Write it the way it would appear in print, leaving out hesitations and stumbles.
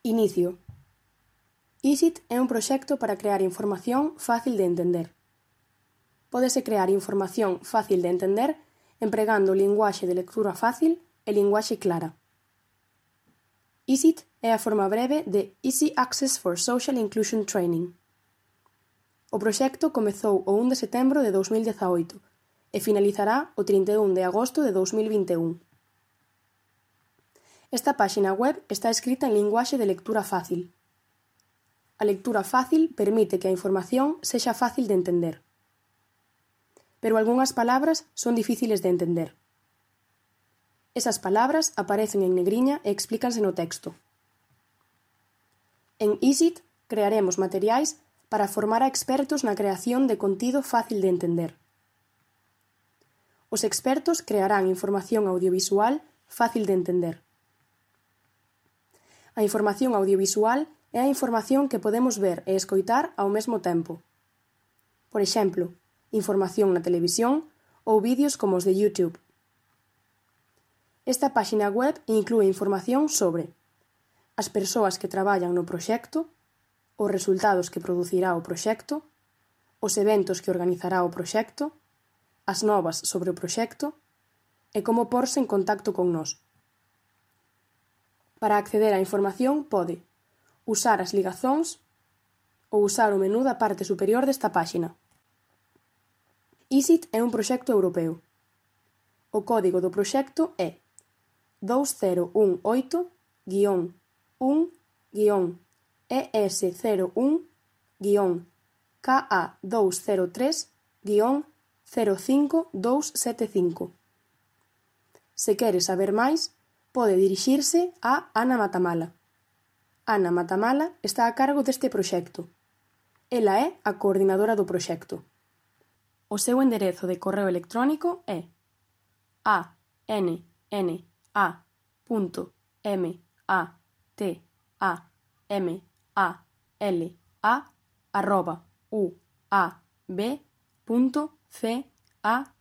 Inicio. EASIT é un proxecto para crear información fácil de entender. Pódese crear información fácil de entender empregando linguaxe de lectura fácil e linguaxe clara. EASIT é a forma breve de Easy Access for Social Inclusion Training. O proxecto comezou o 1 de setembro de 2018 e finalizará o 31 de agosto de 2021. Esta páxina web está escrita en linguaxe de lectura fácil. A lectura fácil permite que a información sexa fácil de entender. Pero algunhas palabras son difíciles de entender. Esas palabras aparecen en negriña e explícanse no texto. En EASIT crearemos materiais para formar a expertos na creación de contido fácil de entender. Os expertos crearán información audiovisual fácil de entender. A información audiovisual é a información que podemos ver e escoitar ao mesmo tempo. Por exemplo, información na televisión ou vídeos como os de YouTube. Esta páxina web inclúe información sobre as persoas que traballan no proxecto, os resultados que producirá o proxecto, os eventos que organizará o proxecto, as novas sobre o proxecto e como porse en contacto con nós. Para acceder á información pode usar as ligazóns ou usar o menú da parte superior desta páxina. EASIT é un proxecto europeo. O código do proxecto é 2001-ES01-KA203-05275. Se quere saber máis, pode dirixirse a Ana Matamala. Ana Matamala está a cargo deste proxecto. Ela é a coordinadora do proxecto. O seu enderezo de correo electrónico é anna.matamala@uab.ca